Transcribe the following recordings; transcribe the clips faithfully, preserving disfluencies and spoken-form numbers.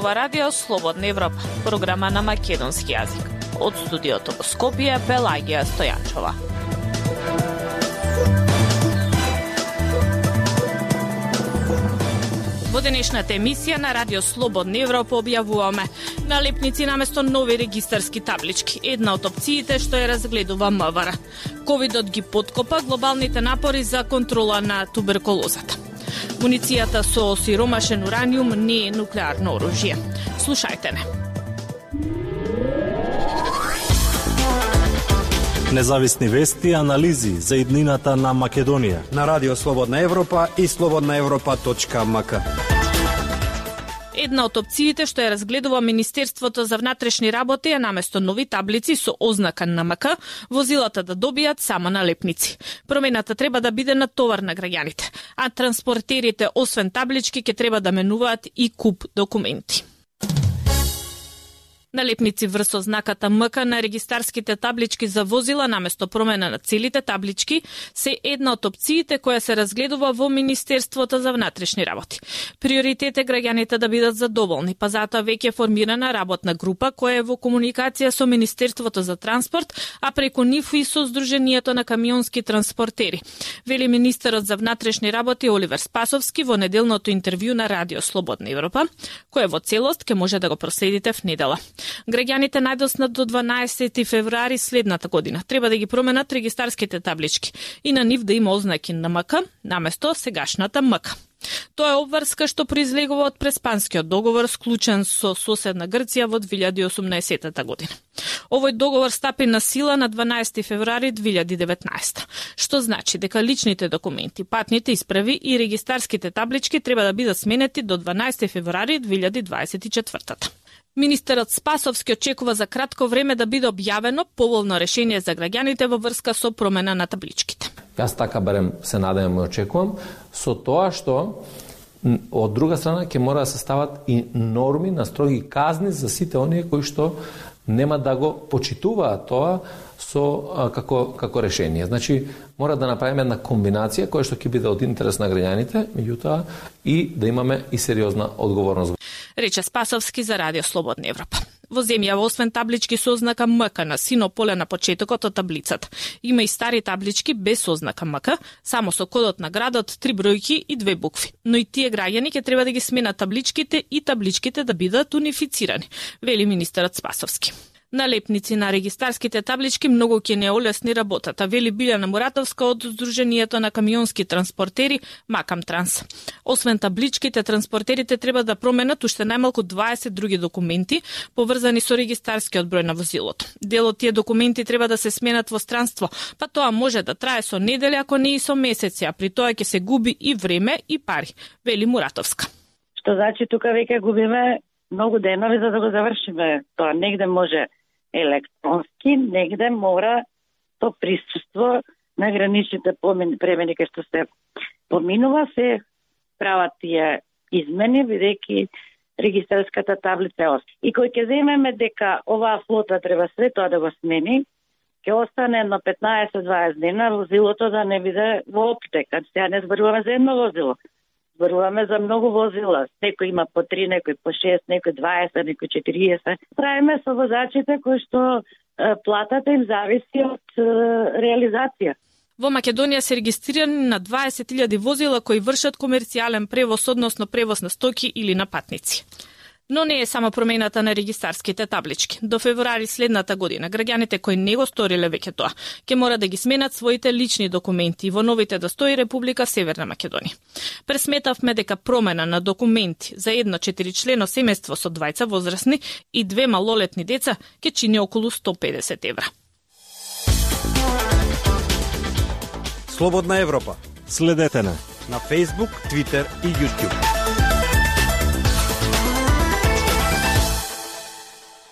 ова радио Слободна Европа, програма на македонски јазик. Од студиото во Скопје, Пелагија Стојанчова. Во денешната емисија на радио Слободна Европа објавуваме налепници наместо нови регистарски таблички, една од опциите што ја разгледува МВР. Ковидот ги подкопа глобалните напори за контрола на туберкулозата. Муницијата со осиромашен ураниум не е нуклеарно оружје. Слушајте не. Независни вести и анализи за иднината на Македонија на радио Слободна Европа и слободна европа точка ем ка. Една од опциите што ја разгледува Министерството за внатрешни работи е наместо нови таблици со ознака на ем ка, возилата да добијат само налепници. Промената треба да биде на товар на граѓаните, а транспортерите освен таблички ќе треба да менуваат и куп документи. Налепници врз ознаката ем ка на регистарските таблички за возила наместо промена на целите таблички се една од опциите која се разгледува во Министерството за внатрешни работи. Приоритет е граѓаните да бидат задоволни, па затоа веќе е формирана работна група која е во комуникација со Министерството за транспорт, а преку нив и со Сдруженијето на камионски транспортери. Вели министерот за внатрешни работи Оливер Спасовски во неделното интервју на радио Слободна Европа, кое во целост ќе може да го проследите в недела. Граѓаните најдосна до дванаесети февруари следната година треба да ги променат регистарските таблички и на нив да има ознаки на ем ка наместо сегашната ем ка. Тоа е обврска што произлегува од Преспанскиот договор склучен со соседна Грција во две илјади и осумнаесета година. Овој договор стапи на сила на дванаесети февруари две илјади и деветнаесета, што значи дека личните документи, патните исправи и регистарските таблички треба да бидат сменети до дванаесети февруари две илјади дваесет и четвртата. Министерот Спасовски очекува за кратко време да биде објавено поволно решение за граѓаните во врска со промена на табличките. Јас така барем се надевам и очекувам, со тоа што од друга страна ќе мора да се стават и норми на строги казни за сите оние кои што нема да го почитуваат тоа со а, како како решение. Значи мора да направиме една комбинација која што ќе биде од интерес на граѓаните, меѓутоа и да имаме и сериозна одговорност. Рече Спасовски за радио Слободна Европа. Во земјава освен таблички со ознака ем ка на сино поле на почетокот од таблицата, има и стари таблички без ознака ем ка, само со кодот на градот, три бројки и две букви. Но и тие граѓани ќе треба да ги сменат табличките и табличките да бидат унифицирани, вели министерот Спасовски. Налепници на регистарските таблички многу ќе не олесни работата, вели Билјана Муратовска од Сдруженијето на камионски транспортери Макам Транс. Освен табличките, транспортерите треба да променат уште најмалку дваесет други документи поврзани со регистарскиот број на возилото. Дел од тие документи треба да се сменат во странство, па тоа може да трае со недели, ако не и со месеци, а при тоа ќе се губи и време и пари, вели Муратовска. Што значи тука веќе губиме многу денови за да го завршиме тоа. Негде може електронски, негде мора то присуство на граничните премини кај што се поминува, се прават тие измени, бидејќи регистарската таблица е оста. И кој ќе земеме дека оваа флота треба све тоа да го смени, ќе остане едно петнаесет до дваесет дена возилото да не биде во оптека. Сега не зборуваме за едно возило. Зборуваме за многу возила. Некој има по три, некој по шест, некој дваесет, некој четириесет. Правиме со возачите кои што е, платата им зависи од е, реализација. Во Македонија се регистрирани на дваесет илјади возила кои вршат комерцијален превоз, односно превоз на стоки или на патници. Но не е само промената на регистарските таблички. До февруари следната година граѓаните кои не го сториле веќе тоа, ќе мора да ги сменат своите лични документи во новите да стои Република Северна Македонија. Пресметавме дека промена на документи за едно четиричлено семејство со двајца возрастни и две малолетни деца ќе чини околу сто педесет евра. Слободна Европа. Следете на на Facebook, Twitter и YouTube.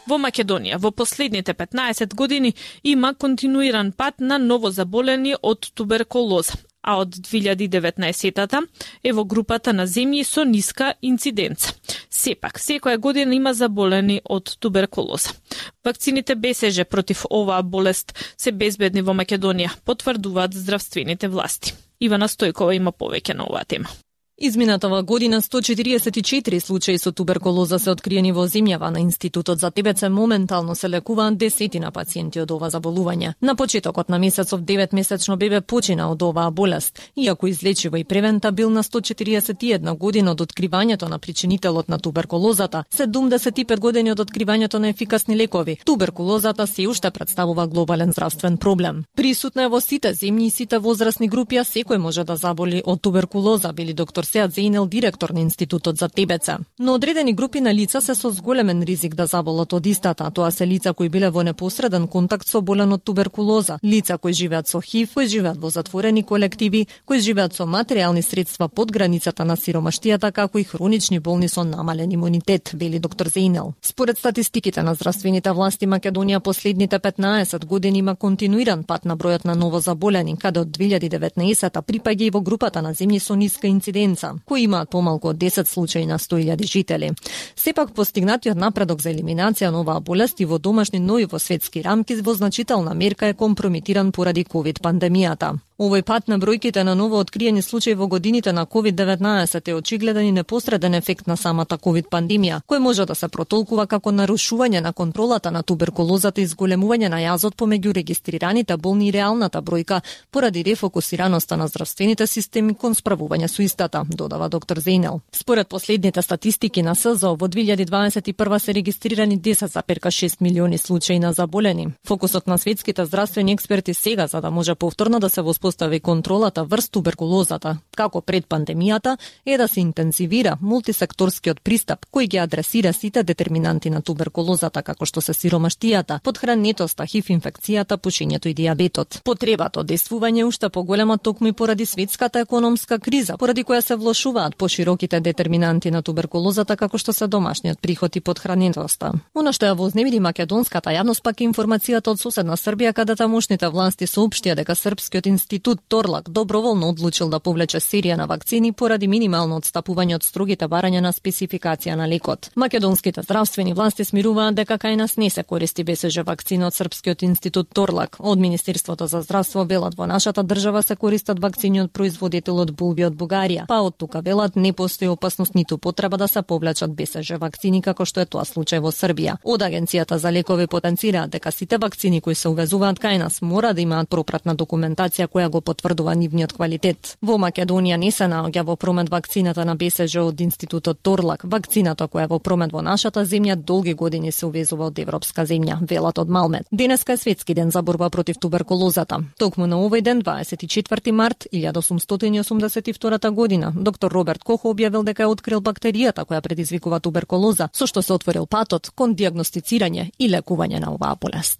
Во Македонија во последните петнаесет години има континуиран пат на новозаболени од туберкулоза, а од две илјади и деветнаесета е во групата на земји со ниска инциденца. Сепак, секоја година има заболени од туберкулоза. Вакцините БСЖ против оваа болест се безбедни во Македонија, потврдуваат здравствените власти. Ивана Стојкова има повеќе на оваа тема. Изминатава година сто четириесет и четири случаи со туберкулоза се откриени во земјава. На Институтот за ТБЦ моментално се лекуваат десетина пациенти од ова заболување. На почетокот на месецов деветмесечно бебе почина од оваа болест, иако излечива и превентабилна сто четириесет и една година од откривањето на причинителот на туберкулозата, седумдесет и пет години од откривањето на ефикасни лекови. Туберкулозата се уште представува глобален здравствен проблем. Присутна е во сите земји и сите возрастни групи, а секој може да заболи од туберкулоза, били доктор Сеат Зейнел, директор на Институтот за ТБЦ. Но одредени групи на лица се со зголемен ризик да заболат од истата. Тоа се лица кои биле во непосреден контакт со болен од туберкулоза, лица кои живеат со ХИВ, кои живеат во затворени колективи, кои живеат со материјални средства под границата на сиромаштијата, како и хронични болни со намален имунитет, вели доктор Зейнел. Според статистиките на здравствените власти, Македонија последните петнаесет години има континуиран пат на бројот на новозаболени, каде од две илјади и деветнаесетта припаѓа и во групата на земји со ниска инциденца, кои имаат помалку од десет случаи на сто илјади жители. Сепак постигнатиот напредок за елиминација на оваа болест и во домашни, но и во светски рамки во значителна мерка е компрометиран поради ковид пандемијата. Овој пат на бројките на ново откриени случаи во годините на ковид деветнаесет е очигледен и непосреден ефект на самата ковид пандемија, кој може да се протолкува како нарушување на контролата на туберкулозата и зголемување на јазот помеѓу регистрираните болни и реалната бројка поради рефокусираноста на здравствените системи кон справување со истата, додава доктор Зейнел. Според последните статистики на СЗО во две илјади дваесет и прва се регистрирани десет зарез шест милиони случаи на заболени. Фокусот на светските здравствени експерти сега, за да може повторно да се воспостави контролата врз туберкулозата, како пред пандемијата, е да се интензивира мултисекторскиот пристап кој ги адресира сите детерминанти на туберкулозата, како што се сиромаштијата, подхранетоста, ХИВ инфекцијата, пушењето и дијабетот. Потребата од действување уште поголема токму и поради светската економска криза, поради која се влошуваат пошироките детерминанти на туберкулозата, како што се домашниот приход и подхранетоста. Оно што ја вознемири македонската јавност пак е информацијата од соседна Србија, каде тамошните власти соопштија дека Српскиот институт Торлак доброволно одлучил да повлече серија на вакцини поради минимално отстапување од строгите барања на спецификација на лекот. Македонските здравствени власти смируваат дека кај нас не се користи БСЖ вакцина од Српскиот институт Торлак. Од Министерството за здравство велат во нашата држава се користат вакцини од производител од булби од Бугарија, па од тука велат не постои опасност ниту потреба да се повлечат БСЖ вакцини како што е тоа случај во Србија. Од Агенцијата за лекови потенцираат дека сите вакцини кои се увезуваат кај нас мора да имаат пропратна документација која го потврдува нивниот квалитет. Во Македонија не се наоѓа во промет вакцината на БСЖ од институтот Торлак. Вакцината која е во промет во нашата земја долги години се увезува од европска земја, велат од Малмет. Денеска е светски ден за борба против туберкулозата. Токму на овој ден, дваесет и четврти март илјада осумстотини и осумдесет и втора година, доктор Роберт Кох објавил дека е открил бактеријата која предизвикува туберкулоза, со што се отворил патот кон дијагностицирање и лекување на оваа болест.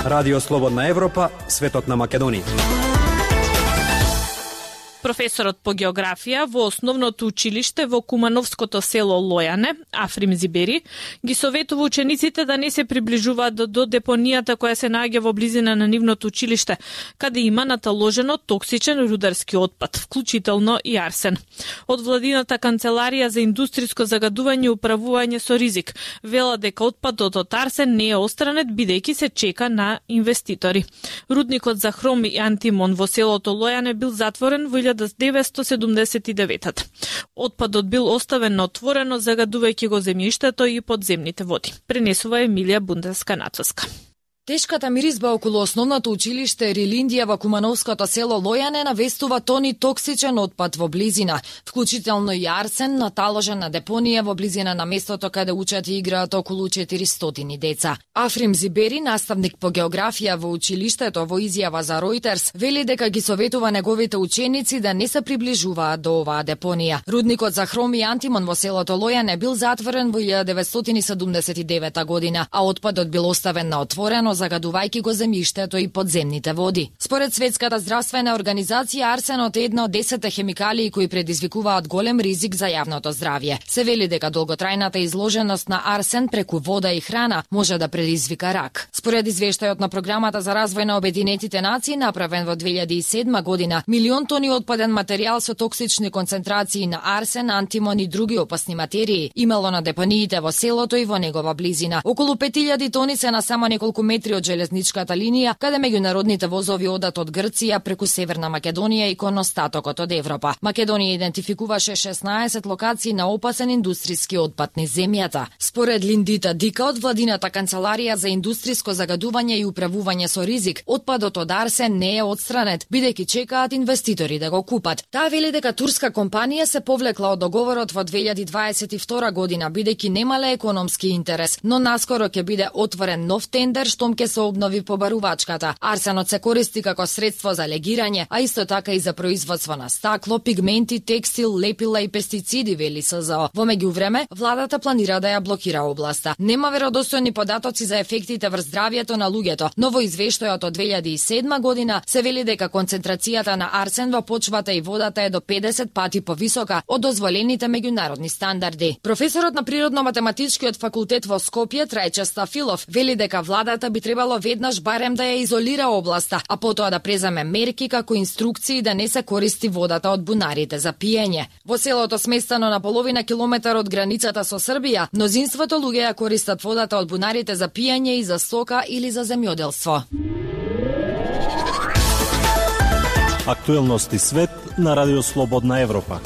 Радио Слободна Европа, светот на Македонија. Професорот по географија во основното училиште во кумановското село Лојане, Африм Зибери, ги советува учениците да не се приближуваат до, до депонијата која се наоѓа во близина на нивното училиште, каде има наталожено токсичен рударски отпад, вклучително и арсен. Од владината канцеларија за индустриско загадување и управување со ризик вела дека отпадот од арсен не е отстранет бидејќи се чека на инвеститори. Рудникот за хром и антимон во селото Лојане бил затворен во илјада деветстотини седумдесет и девета. Отпадот бил оставен на отворено, загадувајќи го земјиштето и подземните води. Пренесува Емилија Бундеска Нацоска. Тешката миризба околу основното училиште Рилиндија во кумановското село Лојане навестува тони токсичен отпад во близина, вклучително и арсен наталожен на депонија во близина на местото каде учат и играат околу четиристотини деца. Африм Зибери, наставник по географија во училиштето, во изјава за Reuters, вели дека ги советува неговите ученици да не се приближуваат до оваа депонија. Рудникот за хром и антимон во селото Лојане бил затворен во илјада деветстотини седумдесет и девета година, а отпадот бил оставен на отворено, загадувајќи го земјиштето и подземните води. Според Светската здравствена организација, арсенот е една од десетте хемикалии кои предизвикуваат голем ризик за јавното здравје. Се вели дека долготрајната изложеност на арсен преку вода и храна може да предизвика рак. Според извештајот на програмата за развој на Обединетите нации, направен во две илјади и седма година, милион тони отпаден материјал со токсични концентрации на арсен, антимон и други опасни материи имало на депониите во селото и во негова близина. Околу пет илјади тони се на само неколку метри километри од железничката линија, каде меѓународните возови одат од Грција преку Северна Македонија и кон остатокот од Европа. Македонија идентификуваше шеснаесет локации на опасен индустријски отпад низ земјата. Според Линдита Дика од владината канцеларија за индустријско загадување и управување со ризик, отпадот од арсен не е отстранет, бидејќи чекаат инвеститори да го купат. Таа вели дека турска компанија се повлекла од договорот во две илјади дваесет и втора година, бидејќи немале економски интерес, но наскоро ќе биде отворен нов тендер штом ќе се обнови побарувачката. Арсенот се користи како средство за легирање, а исто така и за производство на стакло, пигменти, текстил, лепила и пестициди, вели СЗО. Во меѓувреме, владата планира да ја блокира областа. Нема веродостојни податоци за ефектите врз здравјето на луѓето, но во извештајот од две илјади и седма година се вели дека концентрацијата на арсен во почвата и водата е до педесет пати повисока од дозволените меѓународни стандарди. Професорот на природно-математичкиот факултет во Скопје, Трајче Стафилов, вели дека владата би требало веднаш барем да ја изолира областа, а потоа да преземе мерки како инструкции да не се користи водата од бунарите за пиење. Во селото сместено на половина километар од границата со Србија, мнозинството луѓе ја користат водата од бунарите за пиење и за стока или за земјоделство. Актуелности свет на Радио Слободна Европа.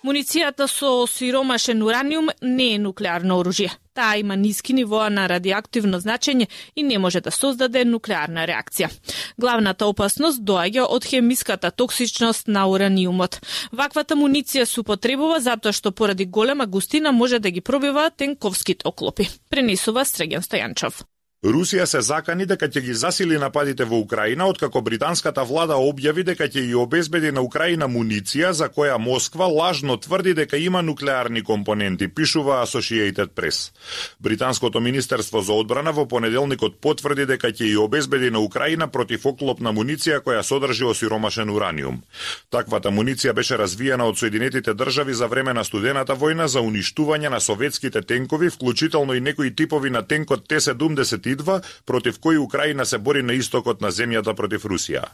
Муницијата со осиромашен ураниум не е нуклеарно оружје. Таа има ниски нивоа на радиоактивно значење и не може да создаде нуклеарна реакција. Главната опасност доаѓа од хемиската токсичност на ураниумот. Ваквата муниција се употребува затоа што поради голема густина може да ги пробива тенковските оклопи. Пренесува Стреган Стојанчов. Русија се закани дека ќе ги засили нападите во Украина, откако британската влада објави дека ќе ја обезбеди на Украина муниција за која Москва лажно тврди дека има нуклеарни компоненти, пишува Associated Press. Британското министерство за одбрана во понеделникот потврди дека ќе ја обезбеди на Украина противоклопна муниција која содржи осиромашен ураниум. Таквата муниција беше развиена од Соединетите држави за време на студената војна за уништување на советските тенкови, вклучително и некои типови на тенкот Т седумдесет и два, против кои Украина се бори на истокот на земјата против Русија.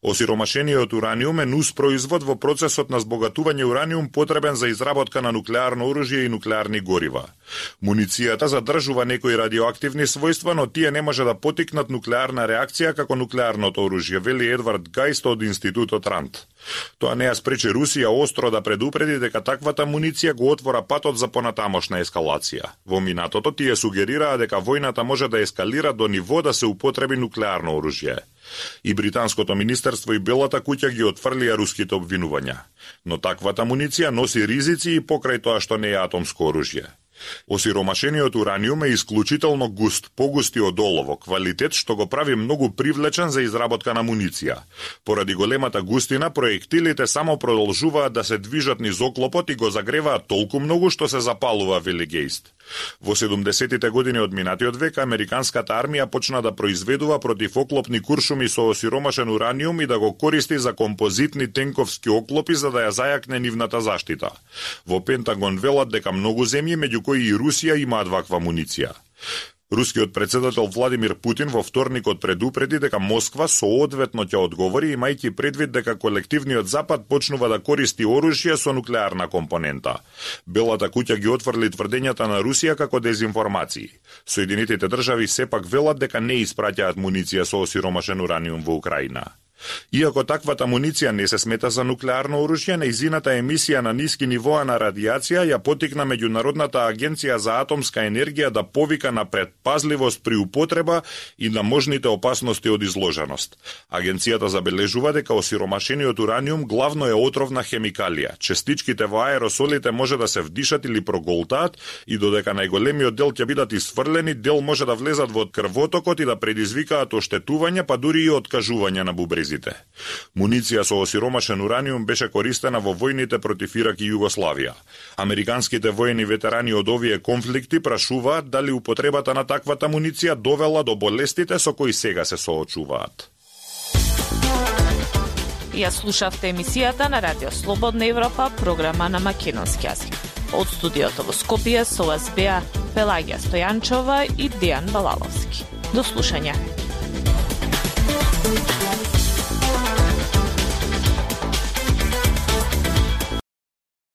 Осиромашениот ураниум е нус производ во процесот на збогатување ураниум потребен за изработка на нуклеарно оружје и нуклеарни горива. Муницијата задржува некои радиоактивни својства, но тие не може да потикнат нуклеарна реакција како нуклеарното оружје, вели Едвард Гајст од Институтот Ранд. Тоа не ја спречи Русија остро да предупреди дека таквата муниција го отвора патот за понатамошна ескалација. Во минатото тие сугерираа дека војната може да ескалира до ниво да се употреби нуклеарно оружје. И британското министерство и Белата куќа ги отфрлија руските обвинувања. Но таквата муниција носи ризици и покрај тоа што не е атомско оружје. Осиромашениот ураниум е исклучително густ, погусти од олово, квалитет што го прави многу привлечен за изработка на муниција. Поради големата густина, проектилите само продолжуваат да се движат низ оклопот и го загреваат толку многу што се запалува, вели Гейст. Во седумдесетите години од минатиот век, американската армија почна да произведува противоклопни куршуми со осиромашен ураниум и да го користи за композитни тенковски оклопи за да ја зајакне нивната заштита. Во Пентагон велат дека многу земји, меѓу кои и Русија, имаат ваква муниција. Рускиот председател Владимир Путин во вторникот предупреди дека Москва соодветно ќе одговори, имајќи предвид дека колективниот Запад почнува да користи оружје со нуклеарна компонента. Белата куќа ги отфрли тврдењата на Русија како дезинформации. Соединетите држави сепак велат дека не испраќаат муниција со осиромашен ураниум во Украина. Иако таквата муниција не се смета за нуклеарно оружје, нејзината емисија на ниски нивоа на радиација ја потикна Меѓународната агенција за атомска енергија да повика на предпазливост при употреба и на можните опасности од изложеност. Агенцијата забележува дека осиромашениот ураниум главно е отровна хемикалија. Честичките во аеросолите може да се вдишат или проголтаат и додека најголемиот дел ќе бидат исфрлени, дел може да влезат во крвотокот и да предизвикаат оштетување, па дури и откажување на бубрези. Муниција со осиромашен ураниум беше користена во војните против Ирак и Југославија. Американските воени ветерани од овие конфликти прашуваат дали употребата на таквата муниција довела до болестите со кои сега се соочуваат. Ја слушавте емисијата на Радио Слободна Европа, програма на македонски јазик. Од студиото во Скопје со вас беа Пелагија Стојанчова и Дејан Балаловски. До слушање.